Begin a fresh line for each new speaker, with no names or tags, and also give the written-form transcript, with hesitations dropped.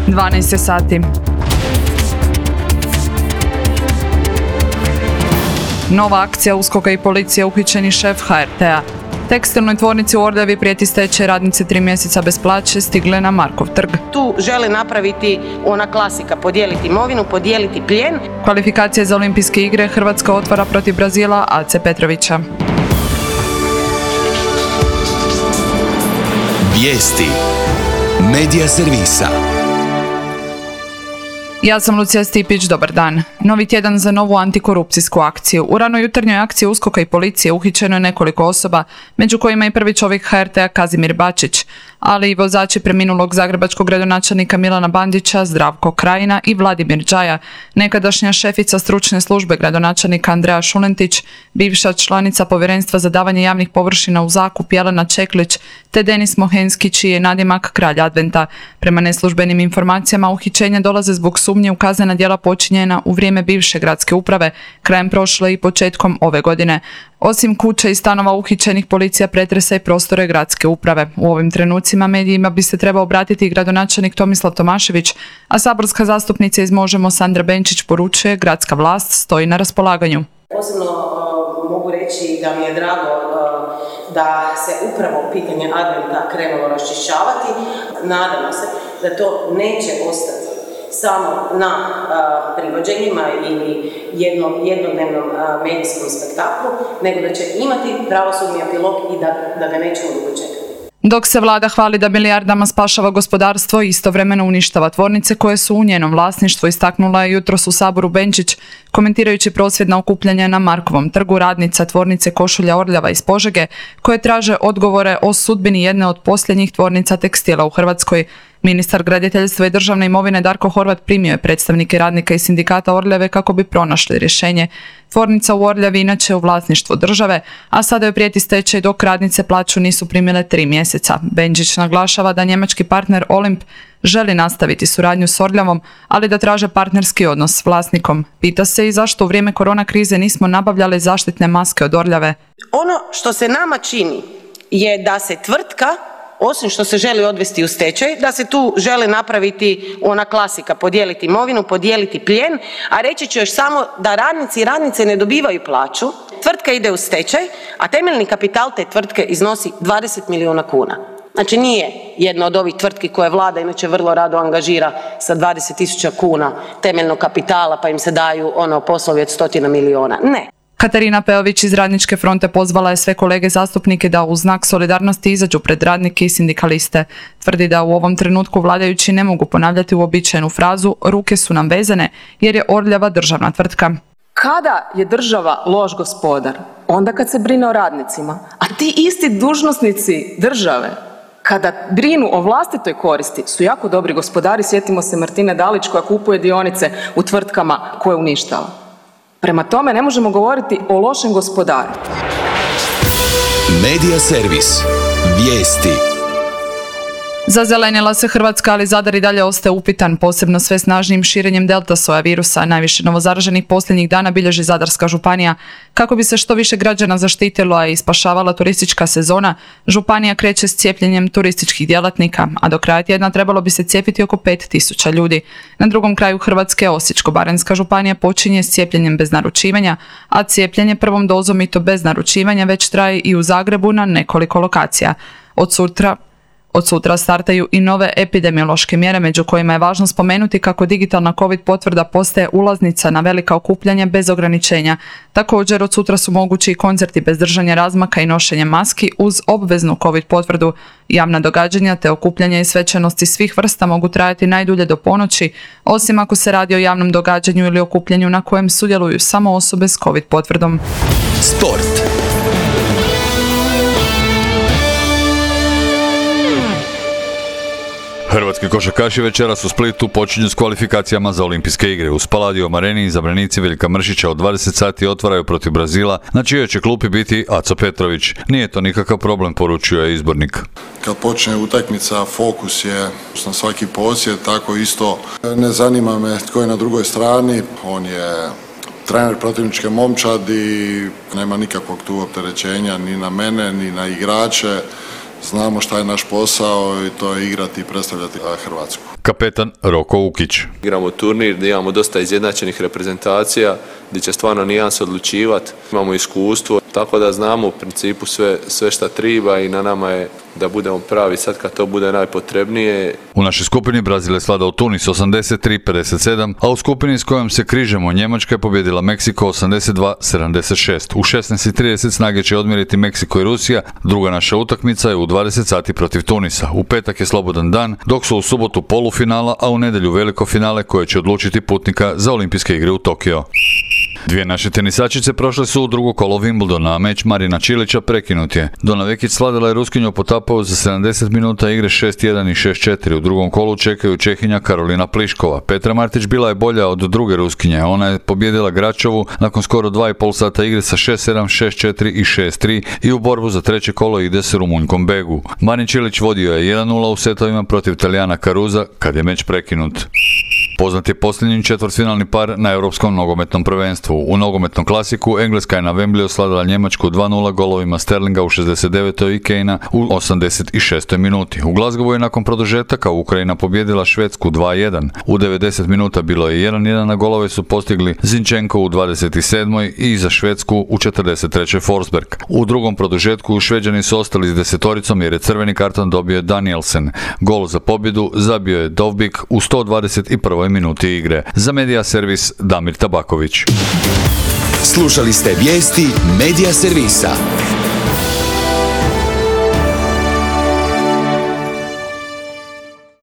12 sati. Nova akcija USKOK-a i policije, uhićeni šef HRT-a. Tekstilnoj tvornici u Orljavi prijeti stečaj, radnice 3 mjeseca bez plaće stigle na Markov trg.
Tu žele napraviti ona klasika, podijeliti imovinu, podijeliti plijen.
Kvalifikacije za olimpijske igre, Hrvatska otvara protiv Brazila Ace Petrovića.
Vijesti Medija servisa.
Ja sam Lucija Stipić, dobar dan. Novi tjedan za novu antikorupcijsku akciju. U ranoj jutarnjoj akciji USKOK-a i policije uhićeno je nekoliko osoba, među kojima i prvi čovjek HRT-a Kazimir Bačić, ali i vozači preminulog zagrebačkog gradonačelnika Milana Bandića, Zdravko Krajina i Vladimir Đaja, nekadašnja šefica stručne službe gradonačelnika Andreja Šulentić, bivša članica povjerenstva za davanje javnih površina u zakup Jelena Čeklić, te Denis Mohenski, čiji je nadimak Kralj Adventa. Prema neslužbenim informacijama, uhićenja dolaze zbog sumnje u kaznena djela počinjena u vrijeme bivše gradske uprave, krajem prošle i početkom ove godine. Osim kuća i stanova uhićenih, policija pretresa i prostore gradske uprave. U ovim trenucima medijima bi se trebao obratiti i gradonačelnik Tomislav Tomašević, a saborska zastupnica iz Možemo Sandra Benčić poručuje: gradska vlast stoji na raspolaganju.
Posebno mogu reći da mi je drago da se upravo pitanje Adventa krenulo raščišćavati. Nadamo se da to neće ostati samo na privođenjima ili jednodnevnom medijskom spektaklu, nego da će imati pravosudni epilog i da ga nećemo dugo čekati.
Dok se vlada hvali da milijardama spašava gospodarstvo, istovremeno uništava tvornice koje su u njenom vlasništvu, istaknula je jutros u Saboru Benčić, komentirajući prosvjedna okupljanja na Markovom trgu radnica tvornice košulja Orljava iz Požege, koje traže odgovore o sudbini jedne od posljednjih tvornica tekstila u Hrvatskoj. Ministar graditeljstva i državne imovine Darko Horvat primio je predstavnike radnika i sindikata Orljave kako bi pronašli rješenje. Tvornica u Orljavi inače u vlasništvu države, a sada joj prijeti stečaj dok radnice plaću nisu primile 3 mjeseca. Benčić naglašava da njemački partner Olimp želi nastaviti suradnju s Orljavom, ali da traže partnerski odnos s vlasnikom. Pita se i zašto u vrijeme korona krize nismo nabavljali zaštitne maske od Orljave.
Ono što se nama čini je da se tvrtka, osim što se želi odvesti u stečaj, da se tu želi napraviti ona klasika, podijeliti imovinu, podijeliti plijen, a reći ću još samo da radnici i radnice ne dobivaju plaću, tvrtka ide u stečaj, a temeljni kapital te tvrtke iznosi 20 milijuna kuna. Znači nije jedna od ovih tvrtki koje vlada inače vrlo rado angažira sa 20.000 kuna temeljnog kapitala pa im se daju poslovi od 100 milijuna. Ne.
Katarina Peović iz Radničke fronte pozvala je sve kolege zastupnike da u znak solidarnosti izađu pred radnike i sindikaliste. Tvrdi da u ovom trenutku vladajući ne mogu ponavljati uobičajenu frazu "ruke su nam vezane" jer je Orljava državna tvrtka.
Kada je država loš gospodar? Onda kad se brine o radnicima. A ti isti dužnosnici države, kada brinu o vlastitoj koristi, su jako dobri gospodari. Sjetimo se Martine Dalić koja kupuje dionice u tvrtkama koje uništava. Prema tome, ne možemo govoriti o lošem gospodaru.
Medija servis. Vijesti.
Zazelenila se Hrvatska, ali Zadar i dalje ostaje upitan, posebno sve snažnijim širenjem delta soja virusa. Najviše novozaraženih posljednjih dana bilježi Zadarska županija. Kako bi se što više građana zaštitilo, a i spašavala turistička sezona, županija kreće s cijepljenjem turističkih djelatnika, a do kraja tjedna trebalo bi se cijepiti oko 5.000 ljudi. Na drugom kraju Hrvatske, Osječko-baranjska županija počinje s cijepljenjem bez naručivanja, a cijepljenje prvom dozom i to bez naručivanja već traje i u Zagrebu na nekoliko lokacija. Od sutra startaju i nove epidemiološke mjere, među kojima je važno spomenuti kako digitalna COVID potvrda postaje ulaznica na velika okupljanja bez ograničenja. Također, od sutra su mogući i koncerti bez držanja razmaka i nošenja maski uz obveznu COVID potvrdu. Javna događanja te okupljanja i svečanosti svih vrsta mogu trajati najdulje do ponoći, osim ako se radi o javnom događanju ili okupljanju na kojem sudjeluju samo osobe s COVID potvrdom.
Sport.
Hrvatski košarkaši večeras u Splitu počinju s kvalifikacijama za olimpijske igre. U Spaladium areni izabranici Veljka Mršića od 20 sati otvaraju protiv Brazila, na čijoj će klupi biti Aco Petrović. Nije to nikakav problem, poručio je izbornik.
Kad počne utakmica, fokus je na svaki posjed, tako isto ne zanima me tko je na drugoj strani, on je trener protivničke momčadi, nema nikakvog tu opterećenja ni na mene, ni na igrače. znamo šta je naš posao i to je igrati i predstavljati Hrvatsku.
Kapetan Roko Ukić.
Igramo turnir gdje imamo dosta izjednačenih reprezentacija, gdje će stvarno nijanse odlučivati. Imamo iskustvo, tako da znamo u principu sve šta treba i na nama je da budemo pravi sad kad to bude najpotrebnije.
U našoj skupini Brazil je svladao Tunis 83-57, a u skupini s kojom se križemo Njemačka je pobjedila Meksiko 82-76. U 16:30 snage će odmjeriti Meksiko i Rusija, druga naša utakmica je u 20 sati protiv Tunisa. U petak je slobodan dan, dok su u subotu polufinala, a u nedjelju veliko finale koje će odlučiti putnika za olimpijske igre u Tokio. Dvije naše tenisačice prošle su u drugo kolo Wimbledona, a meč Marina Čilića prekinut je. Dona Vekić svladala je Ruskinju po Tapovu za 70 minuta igre 6-1 i 6-4. U drugom kolu čekaju Čehinja Karolina Pliškova. Petra Martić bila je bolja od druge Ruskinje. Ona je pobjedila Gračovu nakon skoro 2,5 sata igre sa 6-7, 6-4 i 6-3 i u borbu za treće kolo ide s Rumunjkom Begu. Marin Čilić vodio je 1-0 u setovima protiv Talijana Caruza kad je meč prekinut. Poznat je posljednji četvrtfinalni par na Europskom nogometnom prvenstvu. U nogometnom klasiku Engleska je na Wembleyu slavila Njemačku 2-0 golovima Sterlinga u 69. i Kanea u 86. minuti. U Glasgowu je nakon produžetaka Ukrajina pobjedila Švedsku 2-1. U 90 minuta bilo je 1-1, na golove su postigli Zinchenko u 27. i za Švedsku u 43. Forsberg. U drugom produžetku Šveđani su ostali s desetoricom jer je crveni karton dobio Danielsen. Gol za pobjedu zabio je Dovbik u 121. minuti igre. Za Medija Servis Damir Tabaković.
Slušali ste vijesti Medija Servisa.